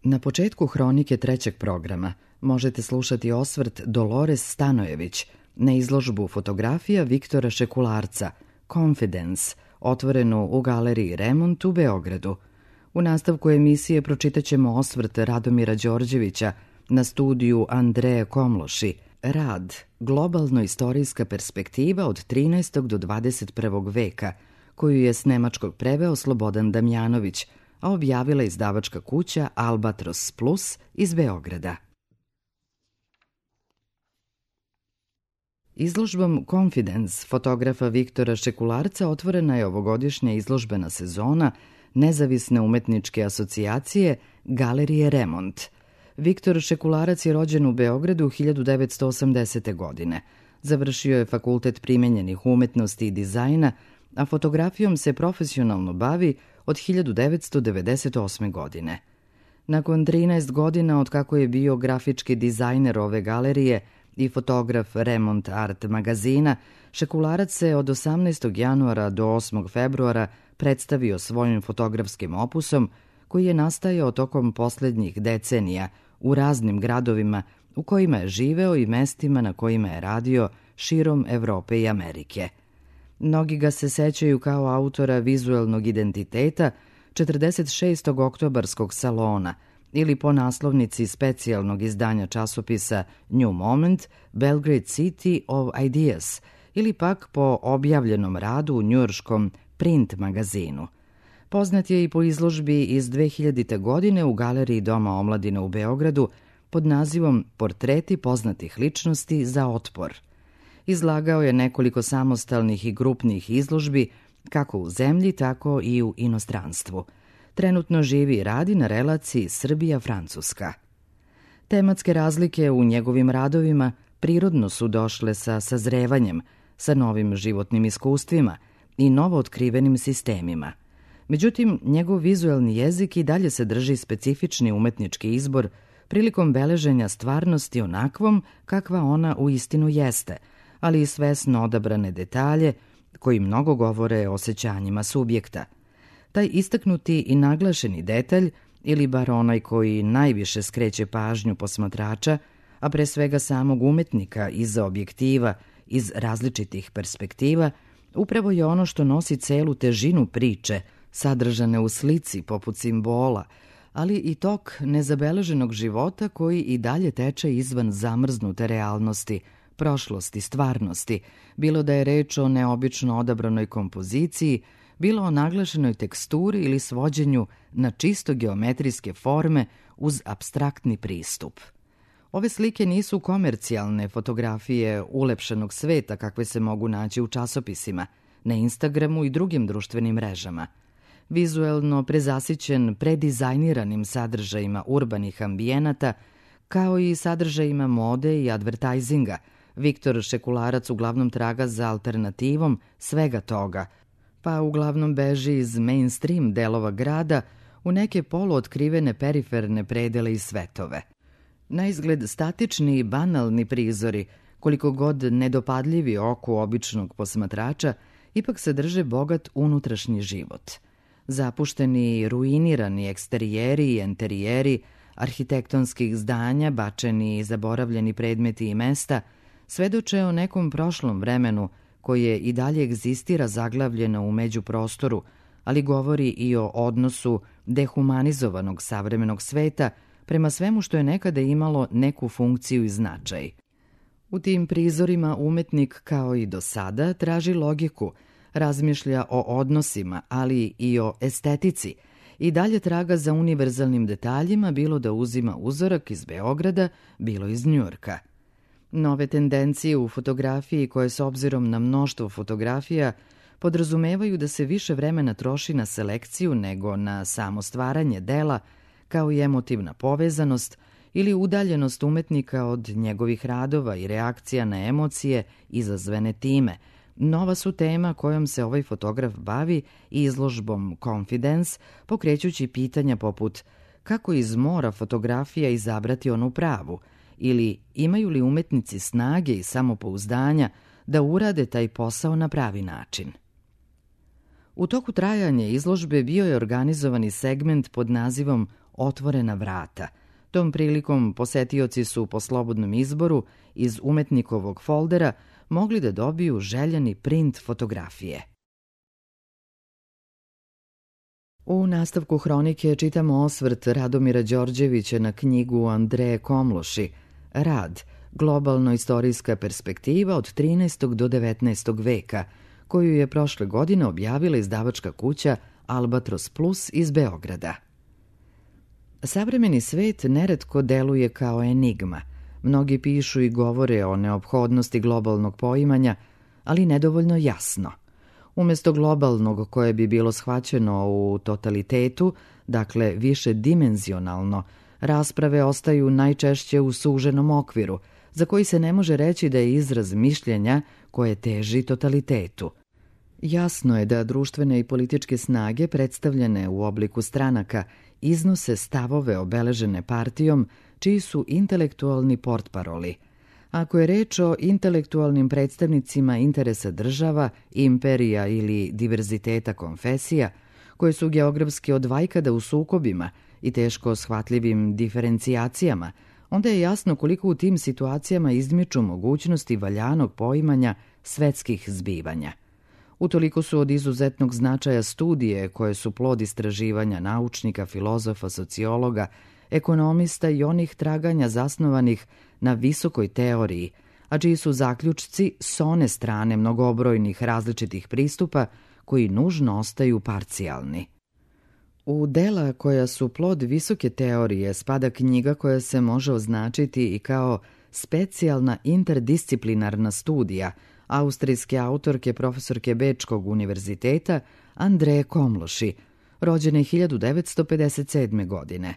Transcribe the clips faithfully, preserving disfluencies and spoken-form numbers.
Na početku hronike trećeg programa možete slušati osvrt Dolores Stanojević na izložbu fotografija Viktora Šekularca Confidence, otvorenu u galeriji Remont u Beogradu. U nastavku emisije pročitaćemo osvrt Radomira Đorđevića na studiju Andreje Komloši, rad Globalno-istorijska perspektiva od trinaestog do dvadeset prvog veka, koju je s nemačkog preveo Slobodan Damjanović, a objavila izdavačka kuća Albatros Plus iz Beograda. Izložbom Confidence fotografa Viktora Šekularca otvorena je ovogodišnja izložbena sezona Nezavisne umetničke asocijacije Galerije Remont. Viktor Šekularac je rođen u Beogradu hiljadu devetsto osamdesete. godine. Završio je Fakultet primenjenih umetnosti i dizajna, a fotografijom se profesionalno bavi od hiljadu devetsto devedeset osme. godine. Nakon trinaest godina od kako je bio grafički dizajner ove galerije i fotograf Remont Art magazina, Šekularac se od osamnaestog januara do osmog februara predstavio svojim fotografskim opusom koji je nastajao tokom poslednjih decenija u raznim gradovima u kojima je živeo i mestima na kojima je radio širom Evrope i Amerike. Mnogi ga se sećaju kao autora vizuelnog identiteta četrdeset šestog oktobarskog salona ili po naslovnici specijalnog izdanja časopisa New Moment, Belgrade City of Ideas, ili pak po objavljenom radu u njujorškom Print magazinu. Poznat je i po izložbi iz dve hiljadite. godine u Galeriji Doma omladine u Beogradu pod nazivom Portreti poznatih ličnosti za otpor. Izlagao je nekoliko samostalnih i grupnih izložbi kako u zemlji, tako i u inostranstvu. Trenutno živi i radi na relaciji Srbija-Francuska. Tematske razlike u njegovim radovima prirodno su došle sa sazrevanjem, sa novim životnim iskustvima i novootkrivenim sistemima. Međutim, njegov vizuelni jezik i dalje se drži specifični umetnički izbor prilikom beleženja stvarnosti onakvom kakva ona uistinu jeste, ali i svesno odabrane detalje koji mnogo govore o osjećanjima subjekta. Taj istaknuti i naglašeni detalj, ili bar onaj koji najviše skreće pažnju posmatrača, a pre svega samog umetnika iza objektiva, iz različitih perspektiva, upravo je ono što nosi celu težinu priče, sadržane u slici poput simbola, ali i tok nezabeleženog života koji i dalje teče izvan zamrznute realnosti, prošlosti, stvarnosti, bilo da je reč o neobično odabranoj kompoziciji, bilo o naglašenoj teksturi ili svođenju na čisto geometrijske forme uz apstraktni pristup. Ove slike nisu komercijalne fotografije ulepšanog sveta kakve se mogu naći u časopisima, na Instagramu i drugim društvenim mrežama. Vizuelno prezasićen predizajniranim sadržajima urbanih ambijenata, kao i sadržajima mode i advertajzinga, Viktor Šekularac uglavnom traga za alternativom svega toga, pa uglavnom beži iz mainstream delova grada u neke poluotkrivene periferne predele i svetove. Naizgled statični i banalni prizori, koliko god nedopadljivi oku običnog posmatrača, ipak sadrže bogat unutrašnji život. Zapušteni i ruinirani eksterijeri i enterijeri arhitektonskih zdanja, bačeni i zaboravljeni predmeti i mesta, svedoče o nekom prošlom vremenu koje i dalje egzistira zaglavljeno u međuprostoru, ali govori i o odnosu dehumanizovanog savremenog sveta prema svemu što je nekada imalo neku funkciju i značaj. U tim prizorima umetnik, kao i do sada, traži logiku, razmišlja o odnosima, ali i o estetici, i dalje traga za univerzalnim detaljima, bilo da uzima uzorak iz Beograda, bilo iz Njujorka. Nove tendencije u fotografiji koje s obzirom na mnoštvo fotografija podrazumevaju da se više vremena troši na selekciju nego na samo stvaranje dela, kao i emotivna povezanost ili udaljenost umetnika od njegovih radova i reakcija na emocije izazvane time, nova su tema kojom se ovaj fotograf bavi i izložbom Confidence, pokrećući pitanja poput kako iz mora fotografija izabrati onu pravu, ili imaju li umetnici snage i samopouzdanja da urade taj posao na pravi način. U toku trajanja izložbe bio je organizovani segment pod nazivom Otvorena vrata. Tom prilikom posetioci su po slobodnom izboru iz umetnikovog foldera mogli da dobiju željeni print fotografije. U nastavku hronike čitamo osvrt Radomira Đorđevića na knjigu Andreje Komloši Rad, globalno-istorijska perspektiva od trinaestog do devetnaestog veka, koju je prošle godine objavila izdavačka kuća Albatros Plus iz Beograda. Savremeni svet neretko deluje kao enigma. Mnogi pišu i govore o neophodnosti globalnog poimanja, ali nedovoljno jasno. Umesto globalnog koje bi bilo shvaćeno u totalitetu, dakle više dimenzionalno, rasprave ostaju najčešće u suženom okviru, za koji se ne može reći da je izraz mišljenja koje teži totalitetu. Jasno je da društvene i političke snage predstavljene u obliku stranaka iznose stavove obeležene partijom čiji su intelektualni portparoli. Ako je reč o intelektualnim predstavnicima interesa država, imperija ili diverziteta konfesija, koje su geografski od vajkada u sukobima i teško shvatljivim diferencijacijama, onda je jasno koliko u tim situacijama izmiču mogućnosti valjanog poimanja svetskih zbivanja. Utoliko su od izuzetnog značaja studije koje su plod istraživanja naučnika, filozofa, sociologa, ekonomista i onih traganja zasnovanih na visokoj teoriji, a čiji su zaključci s one strane mnogobrojnih različitih pristupa koji nužno ostaju parcijalni. U dela koja su plod visoke teorije spada knjiga koja se može označiti i kao specijalna interdisciplinarna studija austrijske autorke profesorke Bečkog univerziteta Andreje Komloši, rođene hiljadu devetsto pedeset sedme. godine.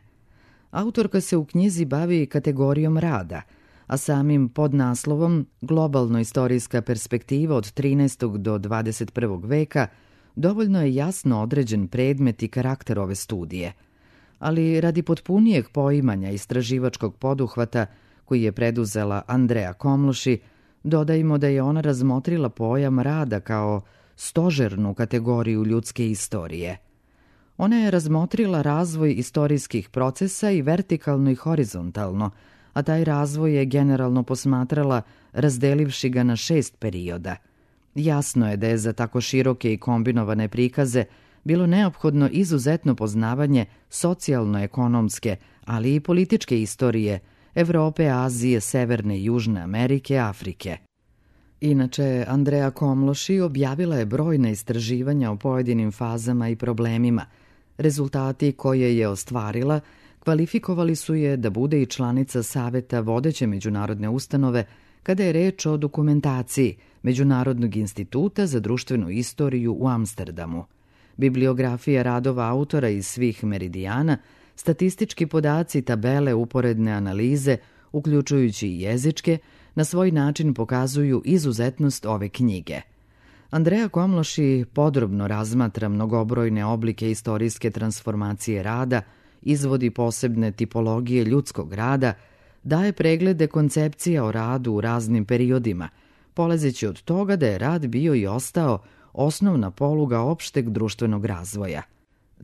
Autorka se u knjizi bavi kategorijom rada, a samim podnaslovom Globalno-istorijska perspektiva od trinaestog do dvadeset prvog veka dovoljno je jasno određen predmet i karakter ove studije. Ali radi potpunijeg poimanja istraživačkog poduhvata koji je preduzela Andreja Komloši, dodajmo da je ona razmotrila pojam rada kao stožernu kategoriju ljudske istorije. Ona je razmotrila razvoj istorijskih procesa i vertikalno i horizontalno, a taj razvoj je generalno posmatrala razdelivši ga na šest perioda. Jasno je da je za tako široke i kombinovane prikaze bilo neophodno izuzetno poznavanje socijalno-ekonomske, ali i političke istorije Evrope, Azije, Severne i Južne Amerike, Afrike. Inače, Andreja Komloši objavila je brojna istraživanja o pojedinim fazama i problemima. Rezultati koje je ostvarila kvalifikovali su je da bude i članica Saveta vodeće međunarodne ustanove kada je reč o dokumentaciji Međunarodnog instituta za društvenu istoriju u Amsterdamu. Bibliografija radova autora iz svih meridijana, statistički podaci, tabele, uporedne analize, uključujući i jezičke, na svoj način pokazuju izuzetnost ove knjige. Andreja Komloši podrobno razmatra mnogobrojne oblike istorijske transformacije rada, izvodi posebne tipologije ljudskog rada, daje preglede koncepcija o radu u raznim periodima, polazeći od toga da je rad bio i ostao osnovna poluga opšteg društvenog razvoja.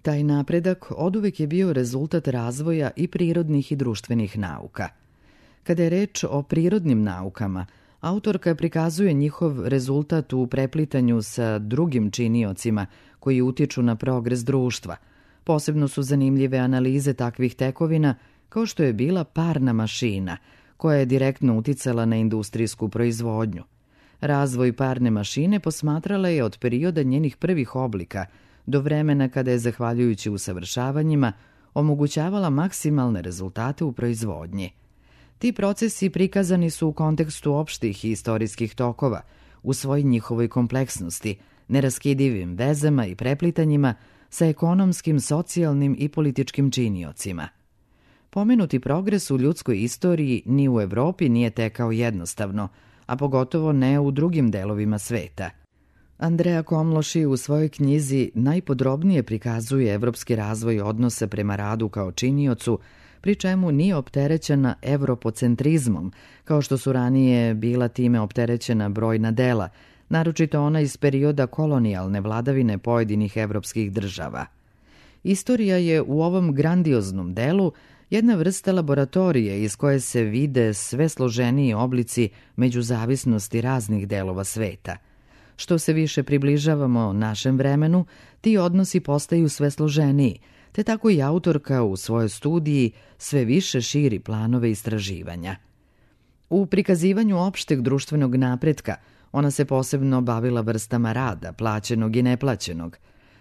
Taj napredak oduvek je bio rezultat razvoja i prirodnih i društvenih nauka. Kada je reč o prirodnim naukama, autorka prikazuje njihov rezultat u preplitanju sa drugim činiocima koji utiču na progres društva. Posebno su zanimljive analize takvih tekovina kao što je bila parna mašina, koja je direktno uticala na industrijsku proizvodnju. Razvoj parne mašine posmatrala je od perioda njenih prvih oblika do vremena kada je, zahvaljujući usavršavanjima, omogućavala maksimalne rezultate u proizvodnji. Ti procesi prikazani su u kontekstu opštih i istorijskih tokova, u svoj njihovoj kompleksnosti, neraskidivim vezama i preplitanjima sa ekonomskim, socijalnim i političkim činiocima. Pomenuti progres u ljudskoj istoriji ni u Evropi nije tekao jednostavno, a pogotovo ne u drugim delovima sveta. Andreja Komloši u svojoj knjizi najpodrobnije prikazuje evropski razvoj odnosa prema radu kao činiocu, pri čemu nije opterećena evropocentrizmom, kao što su ranije bila time opterećena brojna dela, naročito ona iz perioda kolonijalne vladavine pojedinih evropskih država. Istorija je u ovom grandioznom delu jedna vrsta laboratorije iz koje se vide sve složeniji oblici međuzavisnosti raznih delova sveta. Što se više približavamo našem vremenu, ti odnosi postaju sve složeniji, te tako i autorka u svojoj studiji sve više širi planove istraživanja. U prikazivanju opšteg društvenog napretka ona se posebno bavila vrstama rada, plaćenog i neplaćenog.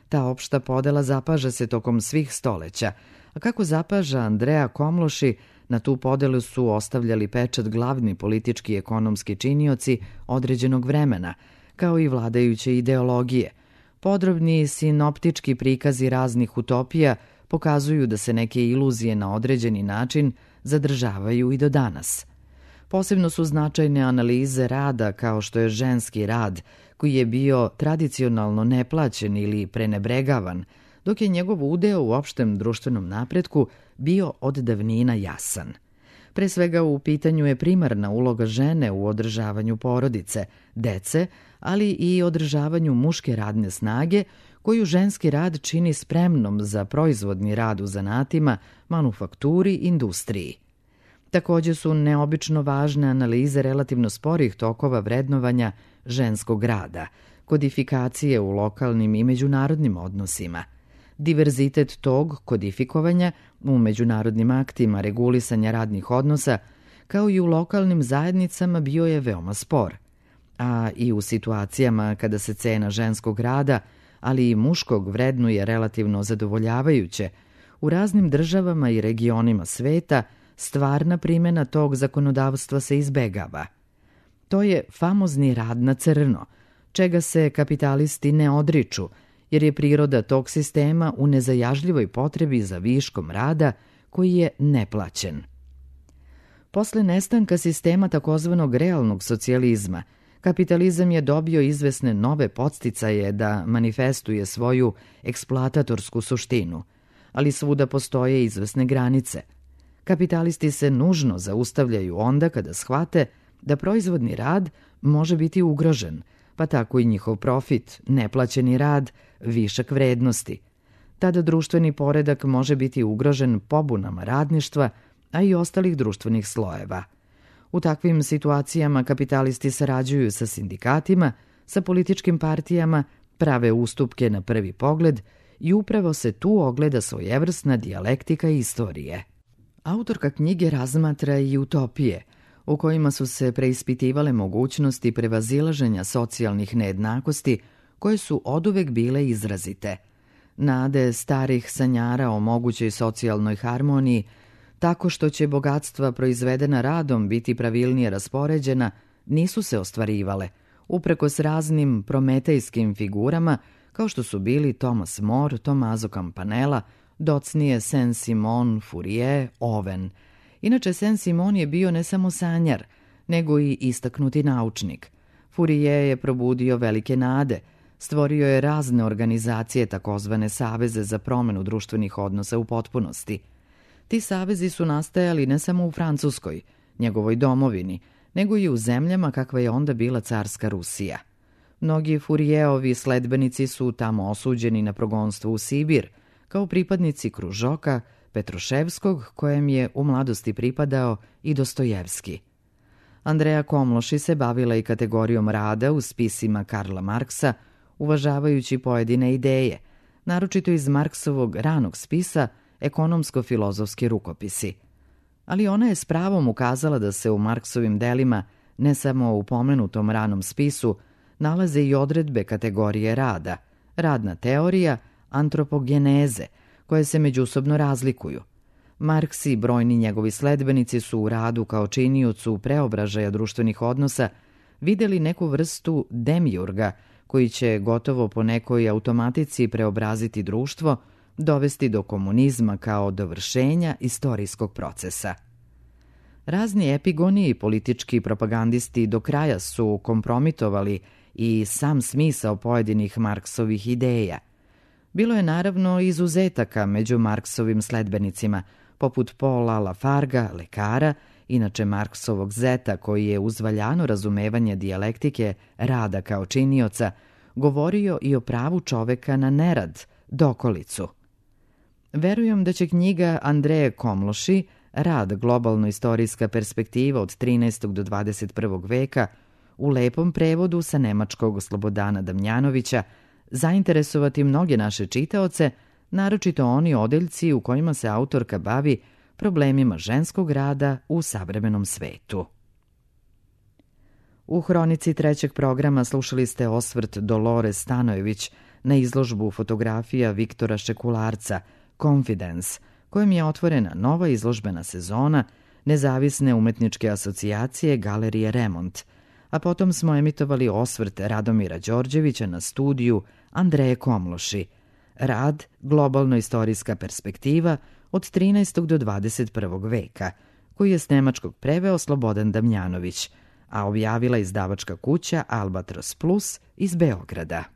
Ta opšta podela zapaža se tokom svih stoleća, a kako zapaža Andrea Komloši, na tu podelu su ostavljali pečat glavni politički i ekonomski činioci određenog vremena, kao i vladajuće ideologije. Podrobni sinoptički prikazi raznih utopija pokazuju da se neke iluzije na određeni način zadržavaju i do danas. Posebno su značajne analize rada kao što je ženski rad, koji je bio tradicionalno neplaćen ili prenebregavan, dok je njegov udeo u opštem društvenom napretku bio od davnina jasan. Pre svega u pitanju je primarna uloga žene u održavanju porodice, dece, ali i održavanju muške radne snage, koju ženski rad čini spremnom za proizvodni rad u zanatima, manufakturi, industriji. Takođe su neobično važne analize relativno sporih tokova vrednovanja ženskog rada, kodifikacije u lokalnim i međunarodnim odnosima. Diverzitet tog kodifikovanja u međunarodnim aktima regulisanja radnih odnosa, kao i u lokalnim zajednicama, bio je veoma spor. A i u situacijama kada se cena ženskog rada, ali i muškog vrednuje relativno zadovoljavajuće, u raznim državama i regionima sveta stvarna primjena tog zakonodavstva se izbegava. To je famozni rad na crno, čega se kapitalisti ne odriču, jer je priroda tog sistema u nezajažljivoj potrebi za viškom rada koji je neplaćen. Posle nestanka sistema takozvanog realnog socijalizma, kapitalizam je dobio izvesne nove podsticaje da manifestuje svoju eksploatatorsku suštinu, ali svuda postoje izvesne granice. Kapitalisti se nužno zaustavljaju onda kada shvate da proizvodni rad može biti ugrožen, pa tako i njihov profit, neplaćeni rad, višak vrednosti. Tada društveni poredak može biti ugrožen pobunama radništva, a i ostalih društvenih slojeva. U takvim situacijama kapitalisti sarađuju sa sindikatima, sa političkim partijama, prave ustupke na prvi pogled i upravo se tu ogleda svojevrsna dijalektika istorije. Autorka knjige razmatra i utopije, u kojima su se preispitivale mogućnosti prevazilaženja socijalnih nejednakosti koje su oduvek bile izrazite. Nade starih sanjara o mogućoj socijalnoj harmoniji, tako što će bogatstva proizvedena radom biti pravilnije raspoređena, nisu se ostvarivale, uprkos raznim prometejskim figurama kao što su bili Thomas More, Tommaso Campanella, docnije Saint-Simon, Fourier, Owen. Inače, Saint-Simon je bio ne samo sanjar, nego i istaknuti naučnik. Fourier je probudio velike nade, stvorio je razne organizacije, takozvane saveze za promenu društvenih odnosa u potpunosti. Ti savezi su nastajali ne samo u Francuskoj, njegovoj domovini, nego i u zemljama kakva je onda bila carska Rusija. Mnogi Fourijerovi sledbenici su tamo osuđeni na progonstvo u Sibir, kao pripadnici Kružoka, Petruševskog, kojem je u mladosti pripadao i Dostojevski. Andrea Komloši se bavila i kategorijom rada u spisima Karla Marksa, uvažavajući pojedine ideje, naročito iz Marksovog ranog spisa Ekonomsko-filozofski rukopisi. Ali ona je s pravom ukazala da se u Marksovim delima, ne samo u pomenutom ranom spisu, nalaze i odredbe kategorije rada, radna teorija, antropogeneze, koje se međusobno razlikuju. Marks i brojni njegovi sledbenici su u radu kao činiocu preobražaja društvenih odnosa videli neku vrstu demiurga koji će gotovo po nekoj automatici preobraziti društvo, dovesti do komunizma kao dovršenja istorijskog procesa. Razni epigoni i politički propagandisti do kraja su kompromitovali i sam smisao pojedinih Marksovih ideja. Bilo je naravno izuzetaka među Marksovim sledbenicima, poput Paula Lafarga, lekara, inače Marksovog zeta koji je uz valjano razumevanje dijalektike rada kao činioca govorio i o pravu čoveka na nerad, dokolicu. Verujem da će knjiga Andreje Komloši, Rad, globalno-istorijska perspektiva od trinaestog do dvadeset prvog veka, u lepom prevodu sa nemačkog Slobodana Damjanovića, zainteresovati mnoge naše čitaoce, naročito oni odeljci u kojima se autorka bavi problemima ženskog rada u savremenom svetu. U hronici trećeg programa slušali ste osvrt Dolore Stanojević na izložbu fotografija Viktora Šekularca Confidence, kojom je otvorena nova izložbena sezona Nezavisne umetničke asocijacije Galerije Remont, a potom smo emitovali osvrt Radomira Đorđevića na studiju Andreje Komloši, Rad, globalno-istorijska perspektiva od trinaestog do dvadeset prvog veka, koji je s nemačkog preveo Slobodan Damjanović, a objavila izdavačka kuća Albatros Plus iz Beograda.